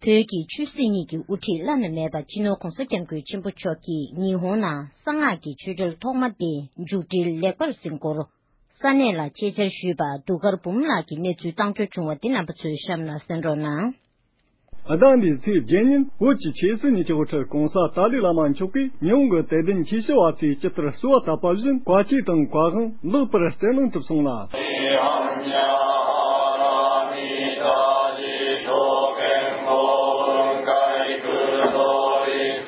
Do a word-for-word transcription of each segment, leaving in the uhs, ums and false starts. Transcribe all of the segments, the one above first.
བོད་ཀྱི་ཆོས་སྲིད་གཉིས་ཀྱི་དབུ་ཁྲིད་བླ་ན་མེད་པ་སྤྱི་ནོར་༧གོང་ས་༧སྐྱབས་མགོན་ཆེན་པོ་མཆོག་གིས་ཉི་ཧོང་ནང་གསང་སྔགས་ཀྱི་ཆོས་འབྲེལ་ཐོག་མ་དེ་མཇུག་སྒྲིལ་ལེགས་པར་ཟིན་སྐོར། ས་གནས་ལ་ཆེད་བཅར་ཞུས་པ་གདུགས་དཀར་འབུམ་ལགས་ཀྱིས་གནས་ཚུལ་བཏང་འབྱོར་བྱུང་བ་འདི་རྣམ་པ་ཚོས་གཤམ་ལ་གསན་རོགས་གནང་། ཟླ་འདིའི་ཚེས་བརྒྱད་ཉིན་བོད་ཀྱི་ཆོས་སྲིད་གཉིས་ཀྱི་དབུ་ཁྲིད་༧གོང་ས་ཏཱ་ལའི་བླ་མ་མཆོག་གིས་ཉི་ཧོང་གི་དད་ལྡན་ཆོས་ཞུ་བ་ཚོས་ཇི་ལྟར་གསོལ་བ་བཏབ་པ་བཞིན་བཀའ་ཆོས་དང་བཀའ་དབང་ལེགས་པར་སྩལ་གནང་གྲུབ་སོང་ལ།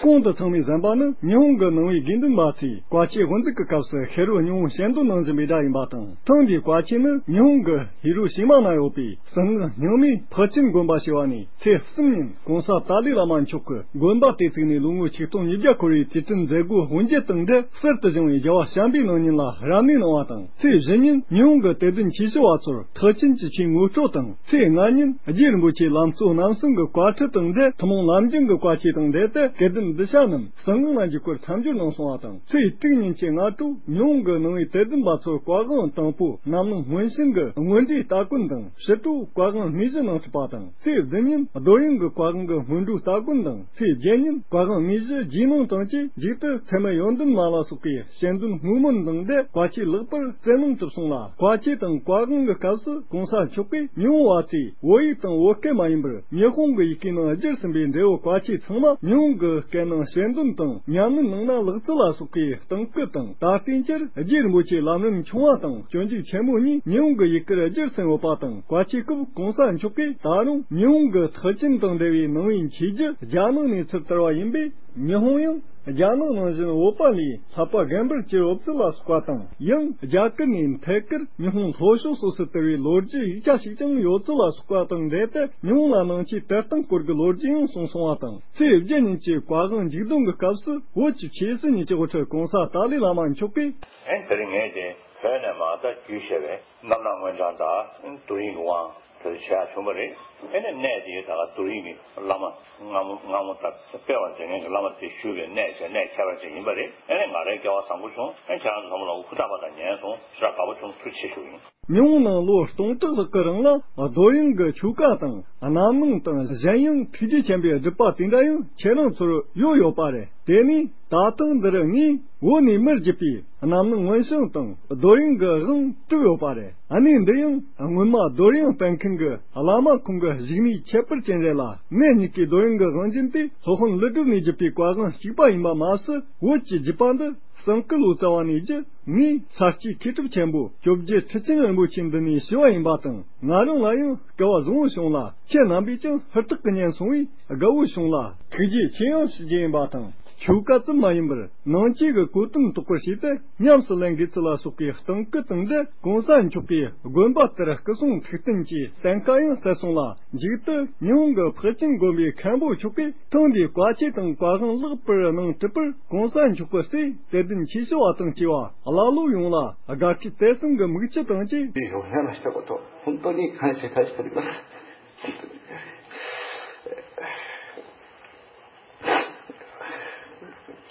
གོང་དུ་ཚང་མས་གསན་པ་ནི་ཉི་ཧོང་གི་ནང་པའི་དགེ་འདུན་པ་ཚོས་བཀའ་ཆོས་དབུ་འཛུགས་ཀྱི་སྐབས་སུ་ཤེས་རབ་སྙིང་པོ་ཞལ་འདོན་གནང་བཞིན་པའི་སྒྲ་ཡིན་པ་དང་། ཐེངས་འདིའི་བཀའ་ཆོས་ནི་ཉི་ཧོང་གི་ཧི་རོ་ཤི་མ་ན་ཡོད་པའི་གསང་སྔགས་རྙིང་མའི་ཐེག་ཆེན་དགོན་པ་ཞེས་པ་ནས་ཚེས་གསུམ་ཉིན་༧གོང་ས་ཏཱ་ལའི་བླ་མ་མཆོག་གིས་དགོན་པ་དེ་བཙུགས་ནས་ལོ་ངོ་ཆིག་སྟོང་ཉིས་བརྒྱ་འཁོར་བའི་དུས་དྲན་མཛད་སྒོ་དབུ་འབྱེད་དང་འབྲེལ་གསར་དུ་བཞེངས་པའི་རྒྱལ་བ་བྱམས་པའི་སྣང་བརྙན་ལ་རབ་གནས་གནང་བ་དང་། ཚེས་བཞི་ཉིན་ཉི་ཧོང་གི་དད་ལྡན་ཆོས་ཞུ་བ་ཚོར་ཐེག་ཆེན་གྱི་ཆོས་ངོ་སྤྲོད་དང་། ཚེས་ལྔ་ཉིན་རྗེ་རིན་པོ་ཆེ་ལམ་གཙོ་རྣམ་གསུམ་གྱི་བཀའ་ཁྲིད་དང་འབྲེལ་ཐུན་མོང་ལམ་རྒྱུན་གྱི་བཀའ་ཆོས་དང་འབྲེལ་ཏེ་དགེ་ལྡན་གདུལ་བྱ་རྣམས་གསང་སྔགས་ལ་འཇུག་པར་མཚམས་སྦྱོར་གནང་སོང་བ་དང་། ཚེས་དྲུག་ཉིན་གྱི་སྔ་དྲོ་ཉི་ཧོང་གི་ནང་པའི་དད་ལྡན་པ་ཚོར་བཀའ་དབང་དང་པོ་རྣམ་སྣང་སྔོན་བྱོན་གྱི་དངོས་འབྲེལ་སྟ་གོན་དང་ཕྱི་དྲོ་བཀའ་དབང་དངོས་གཞི་གནང་གྲུབ་པ་དང་། ཚེས་བདུན་ཉིན་རྡོར་དབྱིངས་ཀྱི་བཀའ་དབང་གི་སྔོན་འགྲོའི་སྟ་གོན་དང་། ཚེས་བརྒྱད་ཉིན་བཀའ་དབང་དངོས་གཞི་རྗེས་གནང་དང་བཅས་མཇུག་ཏུ་ཚད་མེད་ཡོན་ཏན་མ་ལ་སོགས་པའི་སྤྱན་འདུན་བསྔོ་སྨོན་དང་འབྲེལ་བཀའ་ཆོས་ལེགས་པར་སྩལ་གནང་གྲུབ་སོང་ལ། བཀའ་ཆོས་དང་བཀའ་དབང་གི་སྐབས་སུ་༧གོང་ས་མཆོག་གིས་ཉི་ཧོང་བ་ཚོས་བོད་ཡིག་དང་བོད་སྐད་མ་ཡིན་པར་ཉི་ཧོང་གི་ཡི་གེའི་ནང་བསྒྱུར་ཟིན་པའི་འབྲས་བུ་བཀའ་ཆོས་ཚང་མ་ཉི་ཧོང་གི་སྐད་ནང་ཞལ་འདོན་དང་ཉམས་ལེན་གནང་ན་ལེགས་ཚུལ་ལ་སོགས་པའི་གཏང་སྐུལ་དང་། ད་ལྟའི་ཆར་རྗེ་རིན་པོ་ཆེ་ལམ་རིམ་ཆུང་བ་དང་སྤྱོད་འཇུག་ཆེན་མོ་གཉིས་ཉི་ཧོང་གི་ཡི་གེར་བསྒྱུར་ཟིན་ཡོད་པ་དང་། བཀའ་ཆོས་སྐབས་༧གོང་ས་མཆོག་གིས་ད་རུང་ཉི་ཧོང་གི་ཐེག་ཆེན་དང་འབྲེལ་བའི་ནང་པའི་མཁས་རྒྱུད་རྒྱ་ནག་ནས་ཚུར་དར་བ་ཡིན་པས། ཉི་ཧོང་ཡང་རྒྱ་ནག་ནང་བཞིན་བོད་པ་ལས་བསླབ་པ་རྒན་པར་གྱུར་ཡོད་ཚུལ་ལ་སོགས་པ་དང་། ཡང་རྒྱ་གར་ནས་ཐད་ཀར་ཉི་ཧོང་ལྷོ་ཕྱོགས་སོ་སོར་དར་བའི་ལོ་རྒྱུས་ཡིག་ཆ་ཞིག་ཀྱང་ཡོད་ཚུལ་ལ་སོགས་པ་དང་འབྲེལ་ཏེ། ཉི་ཧོང་ལ་ནང་ཆོས་དར་སྟངས་སྐོར་གྱི་ལོ་རྒྱུས་ཡང་གསུངས་སོང་བ་དང་། ཚེས་བརྒྱད་ཉིན་གྱི་བཀའ་དབང་མཇུག་སྡོམ་གྱི་སྐབས་སུ་བོད་ཀྱི་ཆོས་སྲིད་གཉིས་ཀྱི་དབུ་ཁྲིད་༧གོང་ས་ཏཱ་ལའི་བླ་མ་མཆོག་གིས། ཨེ་དེ་རིང་ངས་དེ་བོད་ནས་མར་ད་བརྒྱུད་བཤད་པའི་རྣམ་སྣང་མངོན་བྱང་དང་རྡོ་རིང་གི་དབང་དེ་བྱས་བྱུང་བ་རེད། ཨེ་ནས་གནས་དེའི་ད་ག་རྡོ་རིང་གི་བླ་མ་སྔ་མོ་སྔ་མོ་ད་སྤེལ་བ་མཛད་མཁན་གྱི་བླ་མ་དེ་བཞུགས་པའི་གནས་བྱས་གནས་ཁྱད་པར་ཅན་ཡིན་པ་རེད། ཨེ་ནས་ང་རའི་སྐལ་བ་བཟང་པོ་བྱུང་། ཨེ་ཁྱེད་རང་ཚོ་ཚང་མ་ལ་ཧུར་ཐག་པ་དང་ཉན་སོང་ཞེ་དྲག་དགའ་པོ་བྱུང་། ཐུགས་རྗེ་ཆེ་ཞུ་ཡིན། ཉི་ཧོང་ནང་ལོ་སྟོང་ཕྲག་ལྷག་གི་རིང་ལ་རྡོ་དབྱངས་ཀྱི་ཆོ་ག་དང་རྣམ་སྣང་དང་གཞན་ཡང་ཐུགས་རྗེ་ཆེན་པོའི་སྒྲུབ་པ་དེ་འདྲ་ཡང་ཁྱེད་རང་ཚོར་ཡོད་ཡོད་པ་རེད། དེ་ནས་ད་ཐེངས་འདིར་ངས་བོད་ནས་མར་བརྒྱུད་པའི་རྣམ་སྣང་མངོན་བྱང་དང་རྡོ་དབྱངས་ཀྱི་དབང་བསྒྲུབས་ཡོད་པ་རེད། གནས་འདི་ཡང་སྔོན་མ་རྡོ་དབྱངས་སྤེལ་མཁན་གྱི་བླ་མ་ཁོང་གི་བཞུགས་གནས་ཁྱད་པར་ཅན་རེད་ལ། གནས་གཉིས་ཀའི་རྡོ་དབྱངས་ཀྱི་དབང་རྒྱུན་དེ་སློབ་དཔོན་ཀླུ་སྒྲུབ་ནས་བརྒྱུད་པའི་བཀའ་དབང་གཅིག་པ་ཡིན་པ་མ་ཟད། བོད་ཀྱི་བརྒྱུད་པ་འདི་གསང་སྐུ་ལོ་ཙཱ་བ་ནས་བརྒྱུད། ངས་ས་སྐྱའི་མཁས་གྲུབ་ཆེན་པོ་བཅོ་བརྒྱད་ཁྲི་ཆེན་རིན་པོ་ཆེ་འདི་ནས་ཞུ་བ་ཡིན་པ་དང་། ང་རང་ལ་ཡང་སྐལ་བ་བཟང་བོ་བྱུང་ལ། ཁྱེད་རྣམ་པས་ཀྱང་ཧུར་ཐག་གིས་ཉན་སོང་བས་དགའ་བོ་བྱུང་ལ། ཐུགས་རྗེ་ཆེ་ཡང་ཞུ་རྒྱུ་ཡིན་པ་དང་། ཆོ་ག་ཙམ་མ་ཡིན་པར་ནང་ཆོས་ཀྱི་གོ་དོན་རྟོགས་པར་བྱས་ཏེ་ཉམས་སུ་ལེན་དགོས་ཚུལ་ལ་སོགས་པའི་གཏང་སྐུལ་དང་འབྲེལ། གོང་ས་མཆོག་གིས་དགོན་པ་དེར་སྐུ་གསུང་ཐུགས་རྟེན་གྱི་གཏན་ཁ་ཡང་སྩལ་སོང་ལ། མཇུག་ཏུ་ཉི་ཧོང་གི་ཕེག་ཅིན་དགོན་པའི་མཁན་པོ་མཆོག་གིས་ཐེངས་འདིའི་བཀའ་ཆོས་དང་བཀའ་དབང་ལེགས་པར་གནང་གྲུབ་པར་གོང་ས་མཆོག་གི་སྲས་དད་ལྡན་ཆོས་ཞུ་བ་དང་བཅས་པ་བླ་སློབ་ཡོངས་ལ་དགའ་སྐྱིད་དད་གསུམ་གྱི་མིག་ཆུ་དང་བཅས། よくやりましたこと、本当に感謝いたしております。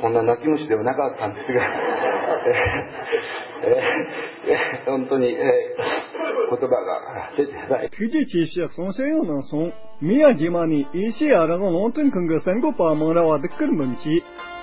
こんな泣き虫ではなかったんですが、えええ本当に、え言葉が出てない。 ཐུགས་རྗེ་ཆེ་ཞུ་གསུང་བཤད་ཡང་གནང་སོང་། མི་ཡ་རྗེས་མ་ནས་ཨེ་ཤེ་ཡ་རང་དབང་རླུང་འཕྲིན་ཁང་གི་གསར་འགོད་པ་མང་ར་བ་བདུག་དཀར་འབུམ་གྱིས།